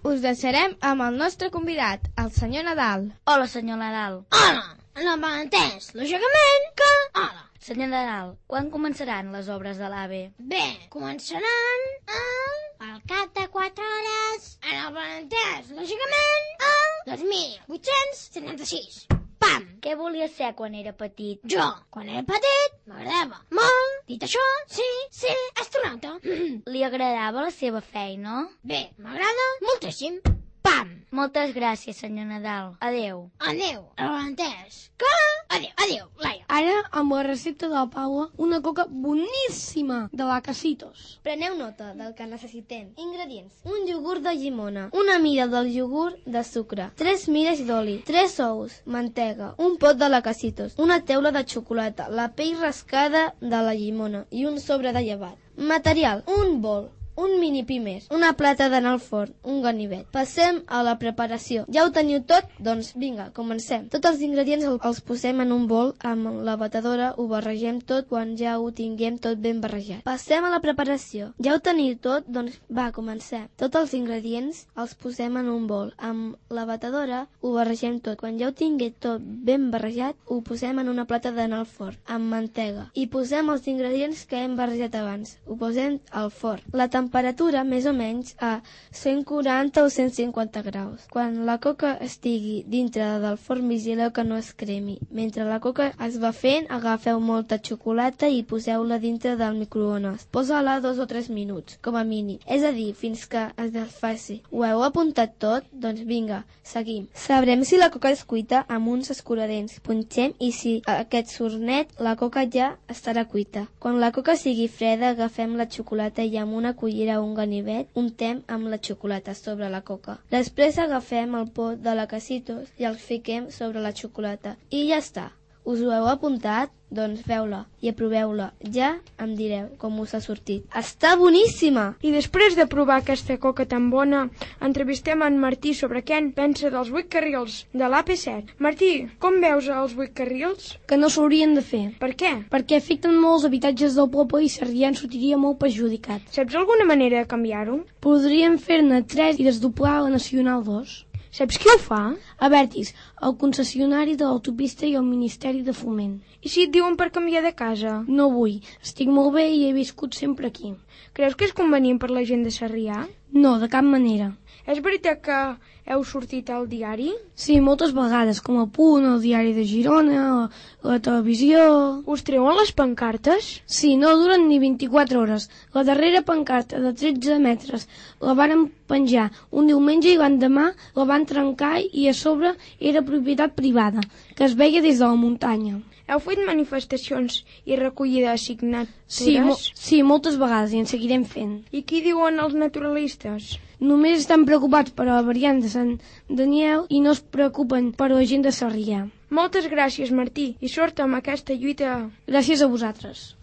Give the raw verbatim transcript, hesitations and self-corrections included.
us deixarem amb el nostre convidat, el senyor Nadal. Hola, senyor Nadal. Hola, no m'entens, lògicament que... Hola. Senyor Nadal, quan començaran les obres de l'A V E? Bé, començaran el... al cap de quatre hores, en el Valentès, lògicament, el dos mil vuit-cents setanta-sis. Pam! Què volia ser quan era petit? Jo, quan era petit, m'agradava molt. Dit això, sí, sí, astronauta. Li agradava la seva feina? Bé, m'agrada moltíssim. Pam! Moltes gràcies, senyor Nadal. Adéu. Adéu, el Valentès. Que? Adéu, adéu, Laia. Ara, amb la recepta de la Paula, una coca boníssima de la Casitos. Preneu nota del que necessitem. Ingredients. Un iogurt de llimona, una mida del iogurt de sucre, tres mires d'oli, tres ous, mantega, un pot de la Casitos, una teula de xocolata, la pell rascada de la llimona i un sobre de llevat. Material. Un bol, un mini pimer, una plata d'anar al forn, un ganivet. Passem a la preparació. Ja ho teniu tot? Doncs vinga, comencem. Tots els ingredients els posem en un bol amb la batedora, ho barregem tot quan ja ho tinguem tot ben barrejat. Passem a la preparació. Ja ho teniu tot? Doncs va, comencem. Tots els ingredients els posem en un bol amb la batedora, ho barregem tot. Quan ja ho tinguem tot ben barrejat, ho posem en una plata d'anar al forn amb mantega i posem els ingredients que hem barrejat abans. Ho posem al forn. La temperatura més o menys a cent quaranta o cent cinquanta graus. Quan la coca estigui dintre del forn, vigileu que no es cremi. Mentre la coca es va fent, agafeu molta xocolata i poseu-la dintre del microones. Posa-la dos o tres minuts, com a mínim. És a dir, fins que es desfaci. Ho heu apuntat tot? Doncs vinga, seguim. Sabrem si la coca és cuita amb uns escuradents. Punxem i si aquest surt net, la coca ja estarà cuita. Quan la coca sigui freda, agafem la xocolata i amb una cullera a un ganivet, untem amb la xocolata sobre la coca. Després agafem el pot de la Casitos i el fiquem sobre la xocolata. I ja està. Us ho heu apuntat? Doncs feu-la i aproveu-la. Ja em direu com us ha sortit. Està boníssima! I després de provar aquesta coca tan bona, entrevistem en Martí sobre què en pensa dels vuit carrils de l'A P set. Martí, com veus els vuit carrils? Que no s'haurien de fer. Per què? Perquè afecten molts habitatges del poble i Sarrià en sortiria molt perjudicat. Saps alguna manera de canviar-ho? Podríem fer-ne tres i desdoblar la Nacional dos. Saps qui ho fa? Avertis, el concessionari de l'autopista i el Ministeri de Foment. I si et diuen per canviar de casa? No vull. Estic molt bé i he viscut sempre aquí. Creus que és convenient per la gent de Sarrià? No, de cap manera. És veritat que heu sortit al diari? Sí, moltes vegades, com a Punt, el diari de Girona, la, la televisió... Us treuen les pancartes? Sí, no duren ni vint-i-quatre hores. La darrera pancarta, de tretze metres, la varen penjar un diumenge i l'endemà la van trencar i a sobre era propietat privada, que es veia des de la muntanya. Heu fet manifestacions i recollida de signatures? Sí, mo sí, moltes vegades i en seguirem fent. I què diuen els naturalistes? Només estan preocupats per la variant de Sant Daniel i no es preocupen per la gent de Sarrià. Moltes gràcies, Martí, i sort amb aquesta lluita. Gràcies a vosaltres.